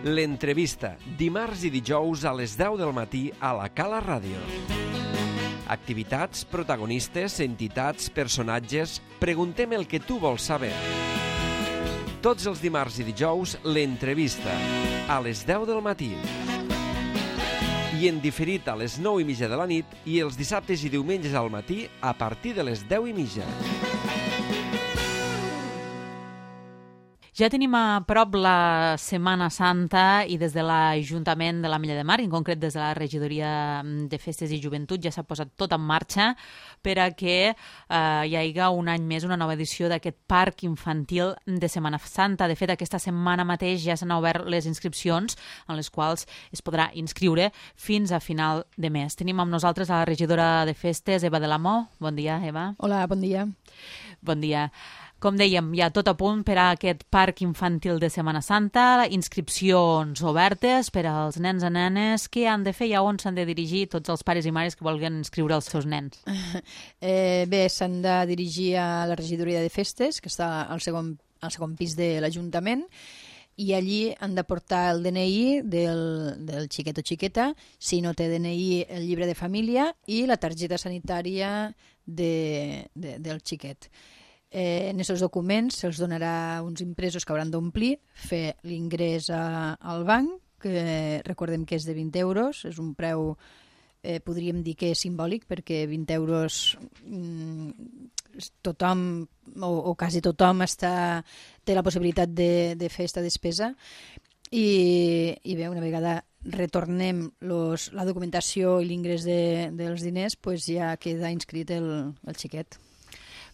L'entrevista, dimarts i dijous a les 10 del matí a la Cala Ràdio. Activitats, protagonistes, entitats, personatges... Preguntem el que tu vols saber. Tots els dimarts i dijous, l'entrevista, a les 10 del matí. I en diferit a les 9:30 de la nit i els dissabtes i diumenges al matí a partir de les 10:30. Ja tenim a prop la Setmana Santa i des de l'Ajuntament de l'Ametlla de Mar, en concret des de la Regidoria de Festes i Joventut, ja s'ha posat tot en marxa per a que hi hagi un any més una nova edició d'aquest parc infantil de Setmana Santa. De fet, aquesta setmana mateix ja s'han obert les inscripcions en les quals es podrà inscriure fins a final de mes. Tenim amb nosaltres a la regidora de Festes, Eva de la Mó. Bon dia, Eva. Hola, bon dia. Bon dia. Com dèiem, ja tot a punt per a aquest parc infantil de Setmana Santa, inscripcions obertes per als nens i nenes. Què han de fer i a on s'han de dirigir tots els pares i mares que vulguin inscriure els seus nens? Bé, s'han de dirigir a la regidoria de Festes, que està al segon pis de l'Ajuntament, i allí han de portar el DNI del xiquet o xiqueta, si no té DNI el llibre de família i la targeta sanitària del xiquet. En aquests documents se'ls donarà uns impresos que hauran d'omplir, fer l'ingrés al banc, que recordem que és de 20 euros, és un preu, podríem dir que és simbòlic, perquè 20 euros tothom, o quasi tothom, té la possibilitat de fer aquesta despesa. I bé, una vegada retornem la documentació i l'ingrés dels diners, doncs ja queda inscrit el xiquet.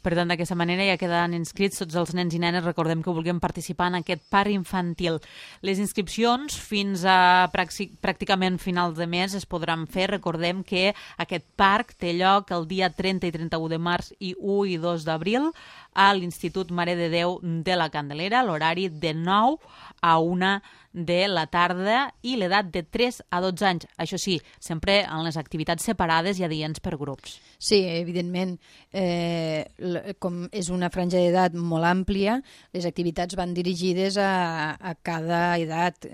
Per tant, d'aquesta manera ja quedaran inscrits tots els nens i nenes, recordem que vulguem participar en aquest parc infantil. Les inscripcions fins a pràcticament finals de mes es podran fer. Recordem que aquest parc té lloc el dia 30 i 31 de març i 1 i 2 d'abril a l'Institut Mare de Déu de la Candelera, l'horari de 9 a 1 de la tarda i l'edat de 3 a 12 anys. Això sí, sempre en les activitats separades i adients per grups. Sí, evidentment, com és una franja d'edat molt àmplia, les activitats van dirigides a cada edat.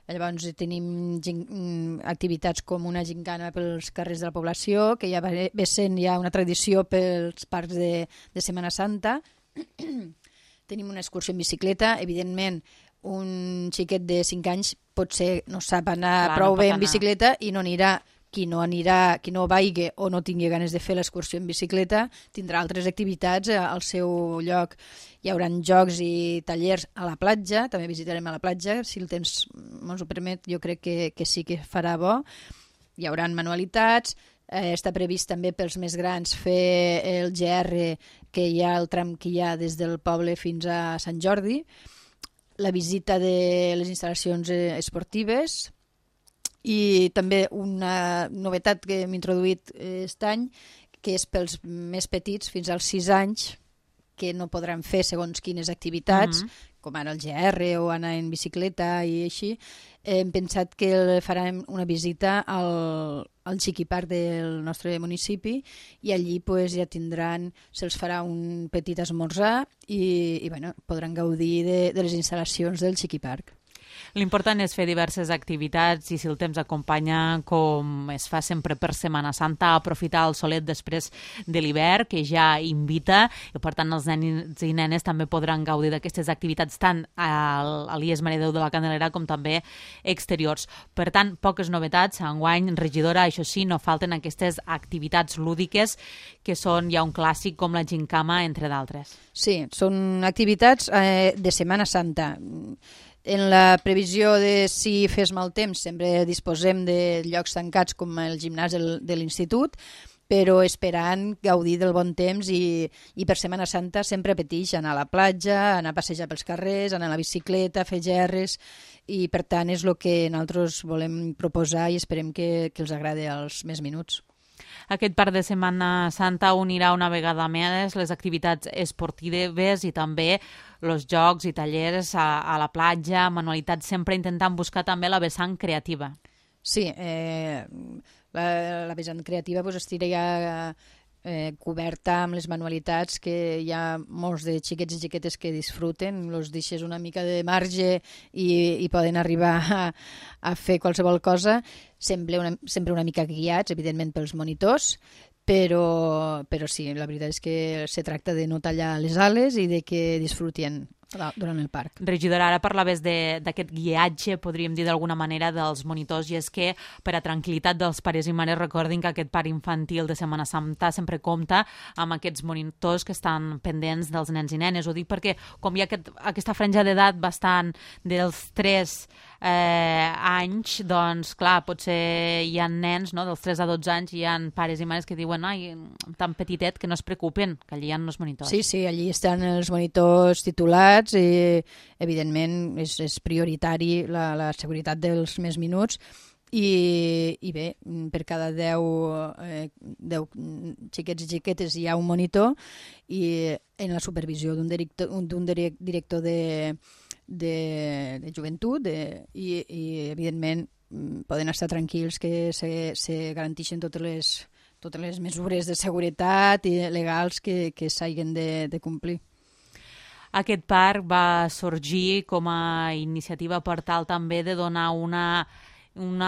Llavors tenim activitats com una gincana pels carrers de la població, que ja ve sent ja una tradició pels parcs de Setmana Santa. Tenim una excursió en bicicleta, evidentment, un xiquet de 5 anys potser no sap anar prou bé en bicicleta i no anirà. Qui no vagi o no tingui ganes de fer l'excursió en bicicleta tindrà altres activitats al seu lloc. Hi haurà jocs i tallers a la platja, també visitarem a la platja, si el temps ens ho permet, jo crec que sí que farà bo. Hi haurà manualitats, està previst també pels més grans fer el GR, que hi ha el tram que hi ha des del poble fins a Sant Jordi, la visita de les instal·lacions esportives, i també una novetat que hem introduït aquest any, que és pels més petits fins als 6 anys, que no podran fer segons quines activitats, com ara el GR o anar en bicicleta i així. Hem pensat que farem una visita al Xiquiparc del nostre municipi i allí ja tindran, se'ls farà un petit esmorzar i podran gaudir de les instal·lacions del Xiquiparc. L'important és fer diverses activitats i si el temps acompanya, com es fa sempre per Setmana Santa, aprofitar el solet després de l'hivern, que ja invita, i per tant els nens i nenes també podran gaudir d'aquestes activitats tant a l'IES Mare de Déu de la Candelera com també exteriors. Per tant, poques novetats. Enguany, regidora, això sí, no falten aquestes activitats lúdiques que són ja un clàssic com la gincama, entre d'altres. Sí, són activitats de Setmana Santa. En la previsió de si fes mal temps sempre disposem de llocs tancats com el gimnàs de l'institut, però esperant gaudir del bon temps i per Setmana Santa sempre petix anar a la platja, anar a passejar pels carrers, anar a la bicicleta, fer gerres, i per tant és el que nosaltres volem proposar i esperem que els agradi als més minuts. Aquest parc de Setmana Santa unirà una vegada més les activitats esportives i també els jocs i tallers a la platja, manualitats, sempre intentant buscar també la vessant creativa. Sí, la vessant creativa estaria coberta amb les manualitats, que hi ha molts de xiquets i xiquetes que disfruten, els deixes una mica de marge i poden arribar a fer qualsevol cosa, sempre una mica guiats, evidentment, pels monitors, però sí, la veritat és que se tracta de no tallar les ales i de que disfruten durant el parc. Regidora, ara parlaves d'aquest guiatge, podríem dir d'alguna manera, dels monitors, i és que per a tranquil·litat dels pares i mares recordin que aquest parc infantil de Setmana Santa sempre compta amb aquests monitors que estan pendents dels nens i nenes. Ho dic perquè com hi ha aquesta franja d'edat bastant dels 3 anys, doncs clar, potser hi ha nens, no?, dels 3 a 12 anys, hi ha pares i mares que diuen, ai, tan petitet, que no es preocupen, que allí hi ha els monitors. Sí, allí estan els monitors titulats i, evidentment, és prioritari la seguretat dels més minuts i bé, per cada 10 xiquets i xiquetes hi ha un monitor i en la supervisió d'un director de joventut i evidentment poden estar tranquils que se garanteixen totes les mesures de seguretat i legals que s'hagin de complir. Aquest parc va sorgir com a iniciativa per tal també de donar una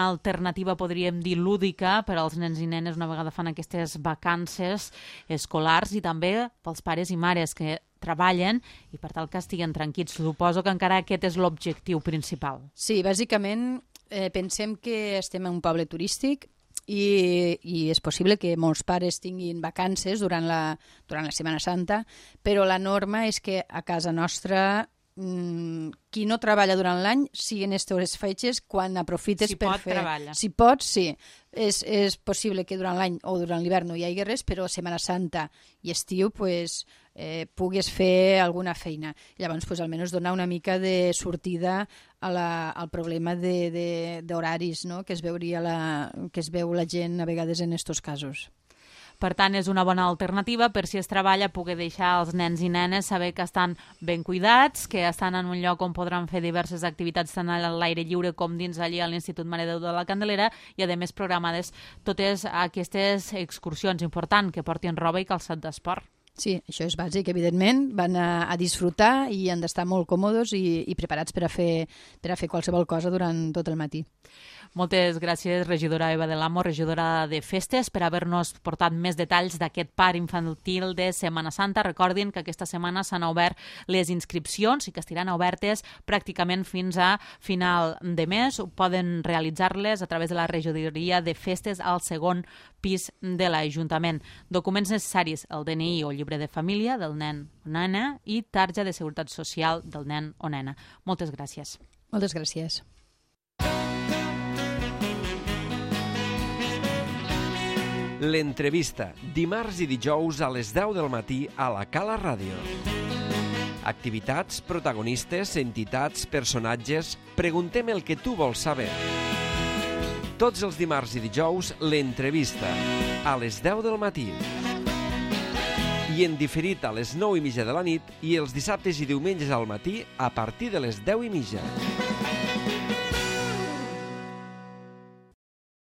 alternativa, podríem dir, lúdica per als nens i nenes una vegada fan aquestes vacances escolars i també pels pares i mares que treballen i per tal que estiguen tranquils. Suposo que encara aquest és l'objectiu principal. Sí, bàsicament pensem que estem en un poble turístic i és possible que molts pares tinguin vacances durant la Setmana Santa, però la norma és que a casa nostra qui no treballa durant l'any siguin aquestes fetges quan aprofites per fer... Treballa. Si pot, sí. És possible que durant l'any o durant l'hivern no hi hagi res, però Setmana Santa i estiu puguis fer alguna feina. Llavors, almenys donar una mica de sortida al problema d'horaris, no?, que es veu la gent a vegades en aquests casos. Per tant, és una bona alternativa per si es treballa poder deixar els nens i nenes saber que estan ben cuidats, que estan en un lloc on podran fer diverses activitats tant a l'aire lliure com dins allí a l'Institut Mare de Déu de la Candelera i, a més, programades totes aquestes excursions. Important que portin roba i calçat d'esport. Sí, això és bàsic, evidentment. Van a disfrutar i han d'estar molt còmodes i preparats per a fer qualsevol cosa durant tot el matí. Moltes gràcies, regidora Eva de l'Amo, regidora de Festes, per haver-nos portat més detalls d'aquest parc infantil de Setmana Santa. Recordin que aquesta setmana s'han obert les inscripcions i que estiran obertes pràcticament fins a final de mes. Poden realitzar-les a través de la regidoria de Festes al segon pis de l'Ajuntament. Documents necessaris, el DNI o llibre de família del nen o nena i tarja de seguretat social del nen o nena. Moltes gràcies. Moltes gràcies. L'entrevista, dimarts i dijous a les 10 del matí a la Cala Ràdio. Activitats, protagonistes, entitats, personatges... Preguntem el que tu vols saber. Tots els dimarts i dijous, l'entrevista, a les 10 del matí. I en diferit a les 9:30 de la nit i els dissabtes i diumenges al matí a partir de les 10:30.